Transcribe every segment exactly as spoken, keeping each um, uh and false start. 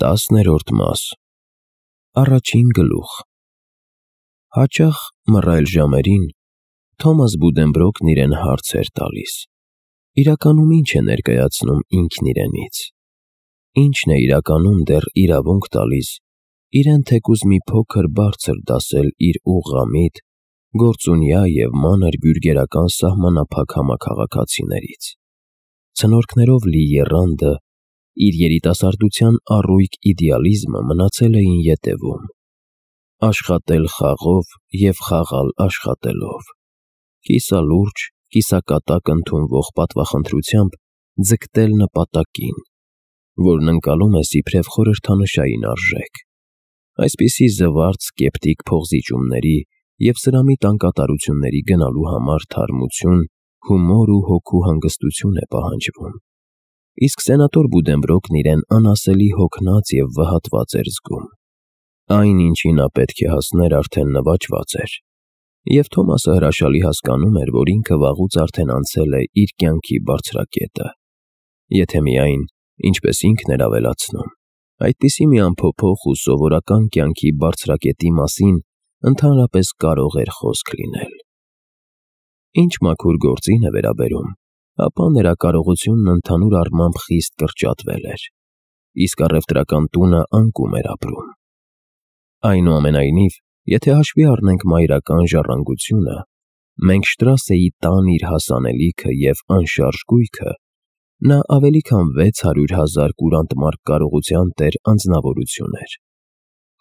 Տասներորդ մաս Առաջին գլուխ Հաճախ մռայլ ժամերին Թոմաս Բուդենբրոկն իրեն հարց էր տալիս. իրականում ինչ է ներկայացնում ինքն իրենից, ինչն է իրականում դեռ իրավունք տալիս իրեն թեկուզ մի փոքր բարձր դասել իր ուղղամիտ, գործունյա և մանր բյուրգերական սահմանափակ համաքաղաքացիներից։ Ցնորքներով լի եռանդը, իր երիտասարդության առույգ իդեալիզմը մնացել էին ետևում. աշխատել խաղով և խաղալ աշխատելով, կիսալուրջ, կիսակատակ ընդունվող պատվախնդրությամբ ձգտել նպատակին, որն ընկալում ես իբրև խորհրդանշային արժեք։ Այսպիսի զվարթ սկեպտիկ փողզիջումների և սրամիտ անկատարությունների գնալու համար թարմություն, հումոր ու հոգու հանգստություն է պահանջվում։ Իսկ սենատոր Բուդենբրոկն իրեն անասելի հոգնած և վհատված էր զգում։ Այն, ինչին նա պետք է հասներ, արդեն նվաճված էր, և Թոմասը հրաշալի հասկանում էր, որ ինքը վաղուց արդեն անցել է իր կյանքի բարձրակետը։ Եթե միայն, ինչպես ինքն էր ավելացնում, այդպիսի մի անփոփոխ ու սովորական կյանքի բարձրակետի մասին ընդհանրապես կարող էր խոսք լինել։ Ինչ մաքուր գործին է վերաբերում, ապա նրա կարողությունն ընդհանուր առմամբ խիստ կրճատվել էր, իսկ առևտրական տունը անկում էր ապրում։ Այնուամենայնիվ, եթե հաշվի առնենք մայրական ժառանգությունը, մենք Շտրասեի տան իր հասանելիքը և անշարժ գույքը, նա ավելի քան վեց հարյուր հազար կուրանտ մարկ կարողության տեր անձնավորություն էր։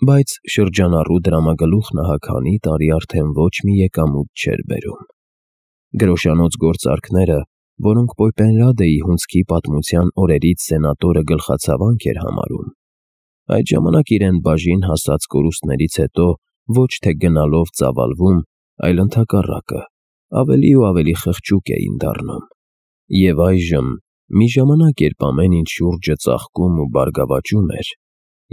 Բայց շրջանառու դրամագլուխ Նահաքանի տարի արդեն ոչ մի եկամուտ չէր բերում։ Գրոշանոց գործարքները, որոնք Պոյպենրադեի հունձքի պատմության օրերից սենատորը գլխացավանք էր համարում, այդ ժամանակ իրեն բաժին հասած կորուստներից հետո ոչ թե գնալով ծավալվում, այլ ընդհակառակը, ավելի ու ավելի խղճուկ էին դառնում։ Եվ այժմ, մի ժամանակ, երբ ամեն ինչ շուրջը ծաղկում ու բարգավաճում էր,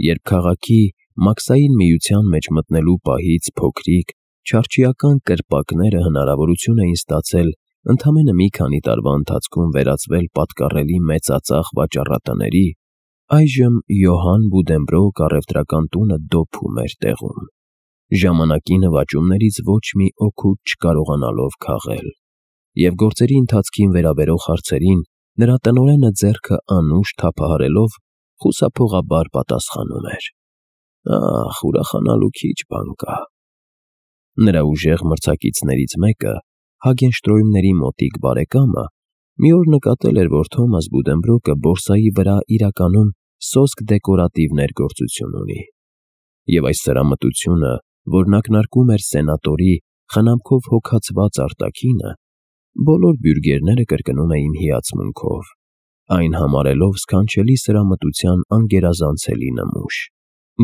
երբ քաղաքի մաքսային միության մեջ մտնելու պահից փոքրիկ, չարչիական կրպակները հնարավորություն էին ստացել ընդամենը մի քանի տարվա ընթացքում վերածվել պատկառելի մեծածախ վաճառատների, այժմ Յոհան Բուդենբրոկ առևտրական տունը դոփում էր տեղում, ժամանակի նվաճումներից ոչ մի օգուտ չկարողանալով քաղել, և գործերի ընթացքին վերաբերող հարցերին նրա տնօրենը ձեռքը անուշ թափահարելով խուսափողաբար պատասխանում էր. «Ախ, ուրախանալու քիչ բան կա»։ Նրա ուժեղ մրցակիցներից մեկը, Հագենշտրոյմների մոտիկ բարեկամը, մի օր նկատել էր, որ Թոմաս Բուդենբրոկը բորսայի վրա իրականում սոսկ դեկորատիվ ներգործություն ունի, և այս սրամտությունը, որն ակնարկում էր սենատորի խնամքով հոգացված արտաքինը, բոլոր բյուրգերները կրկնում էին հիացմունքով, այն համարելով սքանչելի սրամտության անգերազանցելի նմուշ։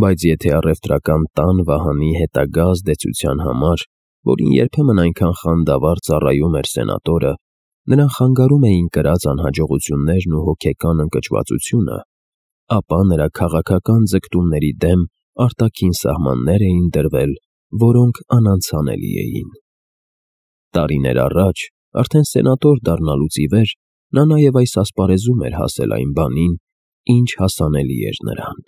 Բայց եթե առևտրական տան վահանի հետագա ազդեցության համար, որին երբեմն այնքան խանդավառ ծառայում էր սենատորը, նրան խանգարում էին կրած անհաջողություններն ու հոգեկան ընկճվածությունը, ապա նրա քաղաքական ձգտումների դեմ արտաքին սահմաններ էին դրվել, որոնք անանցանելի էին։ Տարիներ առաջ, արդեն սենատոր դառնալուց ի վեր, նա նաև այս ասպարեզում էր հասել այն բանին, ինչ հասանելի էր նրան։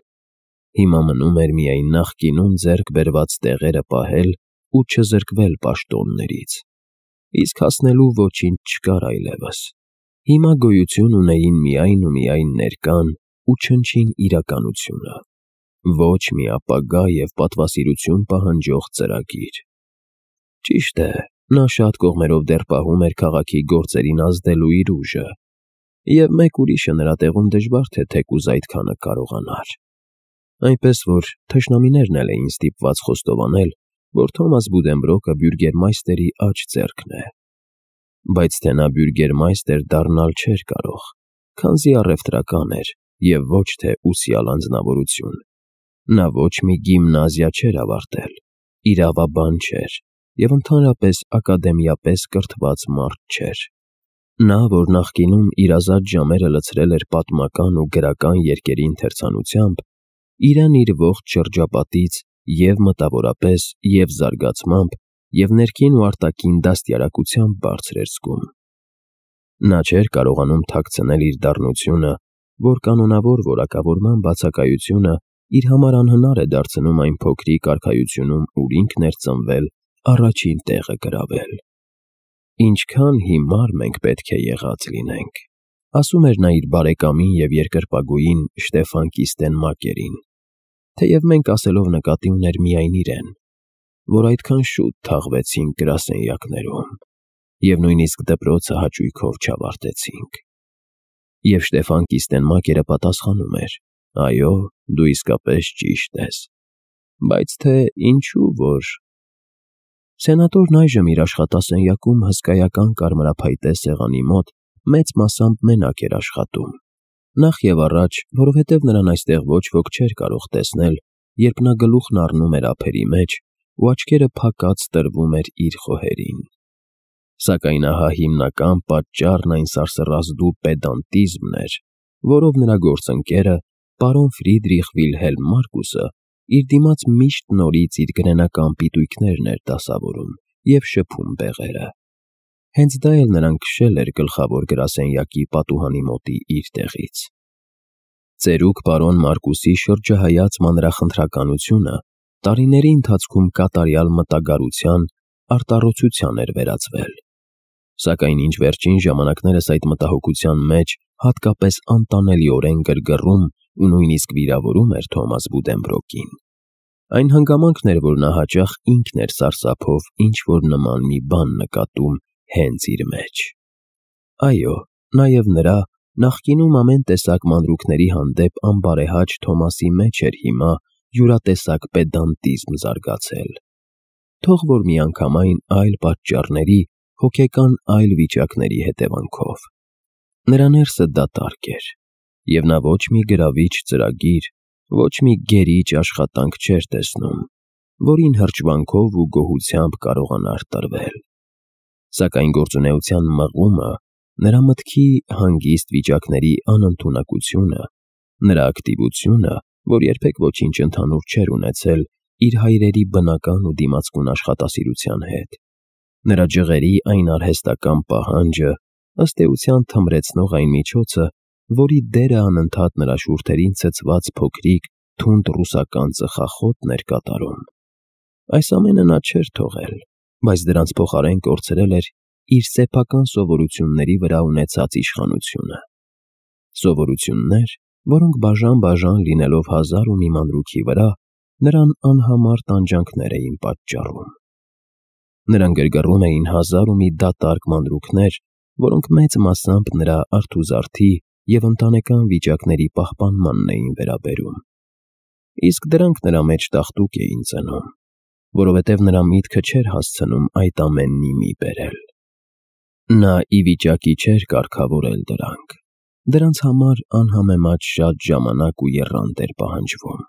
Հիմա մնում էր միայն նախկինում ձեռք բերված տեղերը պահել ու չզրկվել պաշտոններից, իսկ հասնելու ոչինչ չկար այլևս։ Հիմա գոյություն ունեին միայն ու միայն ներկան ու չնչին իրականությունը, ոչ մի ապագա և պատվասիրություն պահանջող ծրագիր։ Ճիշտ է, նա շատ կողմերով դեռ պահում էր քաղաքի գործերին ազդելու իր ուժը, և մեկ ուրիշը նրա տեղում դժվար թե թեկուզ այդքանը կարողանար։ Այնպես որ թշնամիներն էլ էին ստիպված խոստովանել, որ Թոմաս Բուդենբրոկը բյուրգերմայստերի աջ ձեռքն է։ Բայց թե նա բյուրգերմայստեր դառնալ չէր կարող, քանզի առևտրական էր և ոչ թե ուսյալ անձնավորություն։ Նա ոչ մի գիմնազիա չէր ավարտել, իրավաբան չէր և ընդհանրապես ակադեմիապես կրթված մարդ չէր։ Նա, որ նախկինում իր ազատ ժամերը լցրել էր պատմական ու գրական երկերի ընթերցանությամբ, իրեն իր ողջ շրջապատից և մտավորապես, և զարգացմամբ, և ներքին ու արտաքին դաստիարակությամբ բարձր էր զգում։ Նա չէր կարողանում թաքցնել իր դառնությունը, որ կանոնավոր որակավորման բացակայությունը իր համար անհնար է դարձնում այն փոքրիկ արքայությունում, ուր ինքն էր ծնվել, առաջին տեղը գրավել։ «Ինչքան հիմար մենք պետք է եղած լինենք», ասում էր նա իր բարեկամին և երկրպագուին Շտեֆան Կիստենմակերին, թեև մենք ասելով նկատի ուներ միայն իրեն, որ այդքան շուտ թաղվեցինք գրասենյակներում և նույնիսկ դպրոցը հաճույքով չավարտեցինք։ Եվ Շտեֆան Կիստենմակերը պատասխանում էր. «Այո, դու իսկապես ճիշտ ես, բայց թե ինչու որ…» Սենատորն այժմ իր աշխատասենյակում հսկայական կարմրափայտե սեղանի մոտ մեծ մասամբ մենակ էր աշխատում, նախ և առաջ, որովհետև նրան այստեղ ոչ ոք չէր կարող տեսնել, երբ նա գլուխն առնում էր ափերի մեջ ու աչքերը փակած տրվում էր իր խոհերին։ Սակայն ահա հիմնական պատճառն այն սարսռազդու պեդանտիզմն էր, որով նրա գործընկերը, պարոն Ֆրիդրիխ Վիլհելմ Մարկուսը, իր դիմաց միշտ նորից իր գրենական պիտույքներն էր դասավորում և շփում բեղերը։ Հենց դա էլ նրան քշել էր գլխավոր գրասենյակի պատուհանի մոտի իր տեղից։ Ծերուկ պարոն Մարկուսի շրջահայաց մանրախնդրականությունը տարիների ընթացքում կատարյալ մտագարության, արտառոցության էր վերածվել։ Սակայն ինչ վերջին ժամանակներս այդ մտահոգության մեջ հատկապես անտանելիորեն գրգռում ու նույնիսկ վիրավորում էր Թոմաս Բուդենբրոկին, այն հանգամանքն էր, որ նա հաճախ ինքն էր սարսափով ինչ-որ նման մի բան նկատում հենց իր մեջ։ Այո, նաև նրա նախկինում ամեն տեսակ մանրուքների հանդեպ անբարեհաճ Թոմասի մեջ էր հիմա յուրատեսակ պեդանտիզմ զարգացել, թող որ միանգամայն այլ պատճառների, հոգեկան այլ վիճակների հետևանքով։ Նրա ներսը դատարկ էր, և նա ոչ մի գրավիչ ծրագիր, ոչ մի գերիչ աշխատանք չէր տեսնում, որին հրճվանքով ու գոհությամբ կարողանար տրվել։ Սակայն գործունեության մղումը, նրա մտքի հանգիստ վիճակների անընդունակությունը, նրա ակտիվությունը, որ երբեք ոչինչ ընդհանուր չէր ունեցել իր հայրերի բնական ու դիմացկուն աշխատասիրության հետ, նրա ջղերի այն արհեստական պահանջը, ըստ էության թմրեցնող այն միջոցը, որի դերը անընդհատ նրա շուրթերին ցցված փոքրիկ, թունդ ռուսական ծխախոտն էր կատարում։ Այս ամենը նա չէր թողել, բայց դրանց փոխարեն կորցրել էր իր սեփական սովորությունների վրա ունեցած իշխանությունը։ Սովորություններ, որոնք բաժան-բաժան լինելով հազար ու մի մանրուքի վրա, նրան անհամար տանջանքներ էին պատճառում։ Նրան գրգռում էին հազար ու մի դատարկ մանրուքներ, որոնք մեծ մասամբ նրա արթուզարդի և ընտանեկան վիճակների պահպանմանն էին վերաբերում։ Իսկ դրանք նրա մեջ տաղտուկ էին ծնում, որովհետև նրա միտքը չէր հասցնում այդ ամենն ի մի բերել։ Նա ի վիճակի չէր կարգավորել դրանք, դրանց համար անհամեմատ շատ ժամանակ ու եռանդ էր պահանջվում։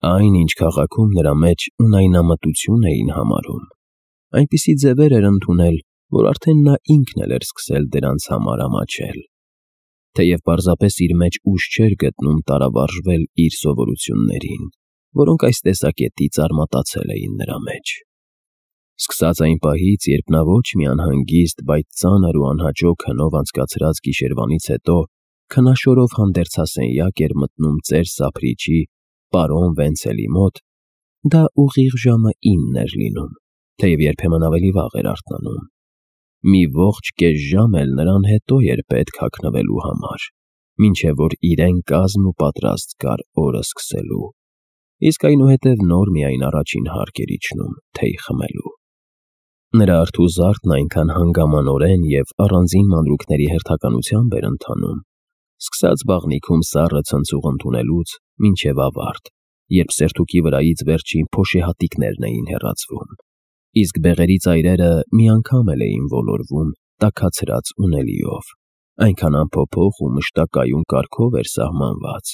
Այն, ինչ քաղաքում նրա մեջ ունայնամտություն էին համարում, այնպիսի ձևեր էր ընդունել, որ արդեն նա ինքն էլ էր սկսել դրանց համար ամաչել, թեև պարզապես իր մեջ ուժ չէր գտնում տարավարժվել իր սովորություններին, որոնք այս տեսակետից արմատացել էին նրա մեջ։ Սկսած այն պահից, երբ նա ոչ մի անհանգիստ, բայց ծանր ու անհաջող քնով անցկացրած գիշերվանից հետո քնաշորով հանդերձասենյակ էր մտնում ծեր Սափրիչի, պարոն Վենցելի մոտ, դա ուղիղ ժամը ինն էր լինում, թեև երբեմն ավելի վաղ էր արթնանում։ Մի ողջ կես ժամ էլ նրան հետո էր պետք հագնվելու համար, մինչև որ իրեն կազմ ու պատրաստ կար օրը սկսելու, իսկ այնուհետև նոր միայն առաջին հարկ էր իջնում թեյ խմելու։ Նրա արթուզարդն այնքան հանգամանորեն և առանձին մանրուքների հերթականությամբ էր ընթանում, սկսած բաղնիքում սառը ցնցուղ ընդունելուց մինչև ավարտ, երբ սերթուկի վրայից վերջին փոշեհատիկներն էին հեռացվում, իսկ բեղերի ծայրերը մի անգամ էլ էին ոլորվում տաքացրած ունելիով, այնքան անփոփոխ ու մշտակայուն կարգով էր սահմանված,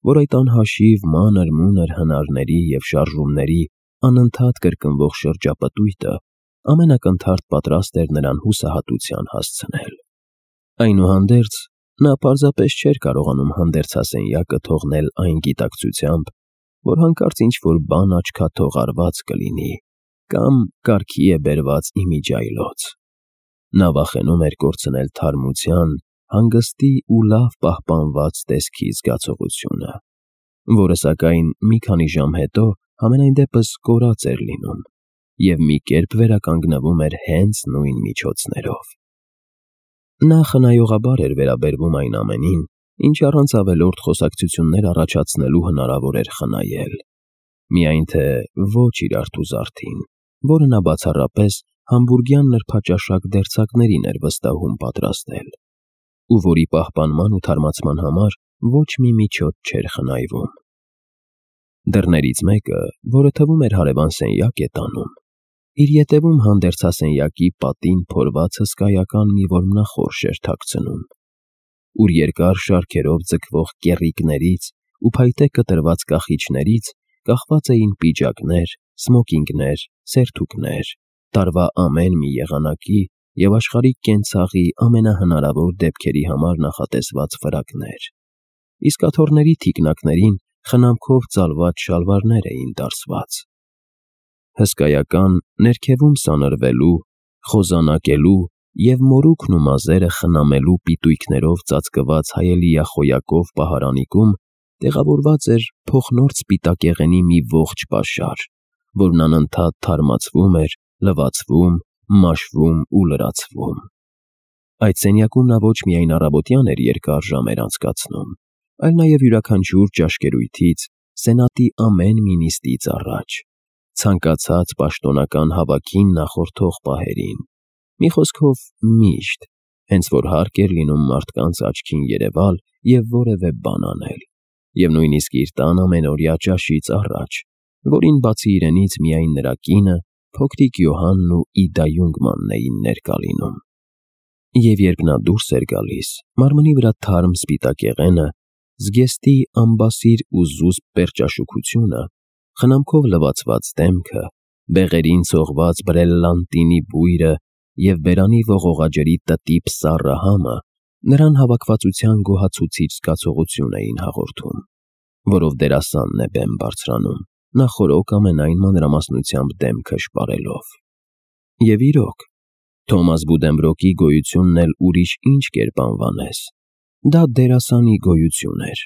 որ այդ անհաշիվ մանր-մունր հնարների և շարժումների անընդհատ կրկնվող շրջապտույտը ամենակնդարդ պատրաստ էր նրան հուսահատության հասցնել։ Այնուհանդերձ, նա պարզապես չէր կարողանում հանդերձասենյակը թողնել այն գիտակցությամբ, որ հանկարծ ինչ-որ բան աչքաթող արված կլինի կամ կարգի է բերված իմիջիայլոց։ Նա վախենում էր կորցնել թարմության, հանգստի ու լավ պահպանված տեսքի զգացողությունը, որը սակայն մի քանի ժամ հետո համենայն դեպս կորած էր լինում և մի կերպ վերականգնվում էր հենց նույն միջոցներով։ Նա խնայողաբար էր վերաբերվում այն ամենին, ինչ առանց ավելորդ խոսակցություններ առաջացնելու հնարավոր էր խնայել, միայն թե ոչ իր արթուզարդին, որը նա բացառապես համբուրգյան նրբաճաշակ դերձակներին էր վստահում պատրաստել, ու որի պահպանման ու թարմացման համար ոչ մի միջոց չէր խնայվում։ Դռներից մեկը, որը թվում էր հարևան սենյակ է տանում, իր ետևում հանդերձասենյակի պատին փորված հսկայական մի որմնախորշ էր թաքցնում, ուր երկար շարքերով ձգվող կեռիկներից ու փայտե կտրված կախիչներից կախված էին պիջակներ, սմոկինգներ, սերթուկներ, տարվա ամեն մի եղանակի և աշխարհիկ կենցաղի ամենահնարավոր դեպքերի համար նախատեսված ֆրակներ, իսկ աթոռների թիկնակներին խնամքով ծալված շալվարներ էին դարսված։ Հսկայական, ներքևում սանրվելու, խոզանակելու և մորուքն ու մազերը խնամելու պիտույքներով ծածկված հայելիախոյակով պահարանիկում տեղավորված էր փոխնորձ սպիտակեղենի մի ողջ պաշար, որն անընդհատ թարմացվում էր, լվացվում, մաշվում ու լրացվում։ Այդ սենյակում նա ոչ միայն առավոտյան էր երկար ժամեր անցկացնում, այլ նաև յուրաքանչյուր ճաշկերույթից, սենատի ամեն մի նիստից առաջ, ցանկացած պաշտոնական հավաքին նախորդող պահերին, մի խոսքով միշտ, հենց որ հարկ էր լինում մարդկանց աչքին երևալ և որևէ բան անել, և նույնիսկ իր տան ամենօրյա ճաշից առաջ, որին բացի իրենից միայն նրա կինը, փոքրիկ Յոհանն ու Իդա Յունգմանն էին ներկա լինում։ Եվ երբ նա դուրս էր գալիս, մարմնի վրա թարմ սպիտակեղենը, զգեստի ամբասիր ու զուսպ պերճաշուքությունը, խնամքով լվացված դեմքը, բեղերին ցողված բրելլանտինի բույրը և բերանի ողողաջրի տտիպ սառը համը նրան հավաքվածության գոհացուցիչ զգացողություն էին հաղորդում, որով դերասանն է բեմ բարձրանում, նախօրոք ամենայն մանրամասնությամբ դեմքը շպարելով։ Եվ իրոք, Թոմաս Բուդենբրոկի գոյությունն էլ ուրիշ ինչ կերպ անվանես, դա դերասանի գոյություն էր,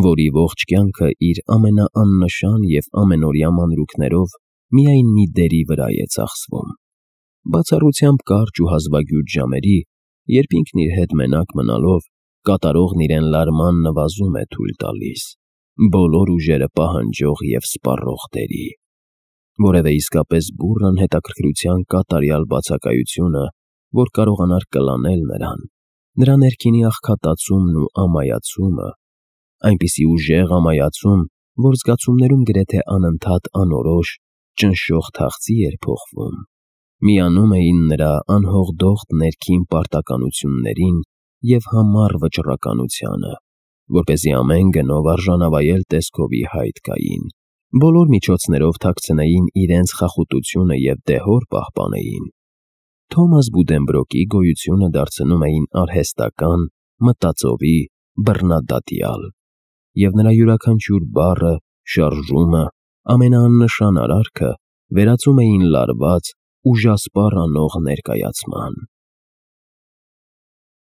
որի ողջ կյանքը իր ամենաաննշան և ամենօրյա մանրուքներով միայն մի դերի վրա է ծախսվում, բացառությամբ կարճ ու հազվագյուտ ժամերի, երբ ինքն իր հետ մենակ մնալով կատարողն իրեն լարման նվազում է թույլ տալիս, բոլոր ուժերը պահանջող և սպառող դերի, որևէ իսկապես բուռն հետաքրքրության կատարյալ բացակայությունը, որ կարողանար կլանել նրան, նրա ներքինի աղքատացումն ու ամայացումը, այնպիսի ուժեղ ամայացում, որ զգացումներում գրեթե անընդհատ անորոշ, ճնշող թախծի էր փոխվում, միանում էին նրա անհողդողդ ներքին պարտականություններին և համառ վճռականությանը, որպեսզի ամեն գնով արժանավայել տեսքովի հայտ գային, բոլոր միջոցներով թաքցնեին իրենց խախուտությունը և դեհոր պահպանեին, Թոմաս Բուդենբրոկի գոյությունը դարձնում էին արհեստական, մտածովի, բռնադատյալ, և նրա յուրաքանչյուր բառը, շարժումը, ամենաաննշան արարքը վերածում էին լարված, ուժասպառ անող ներկայացման։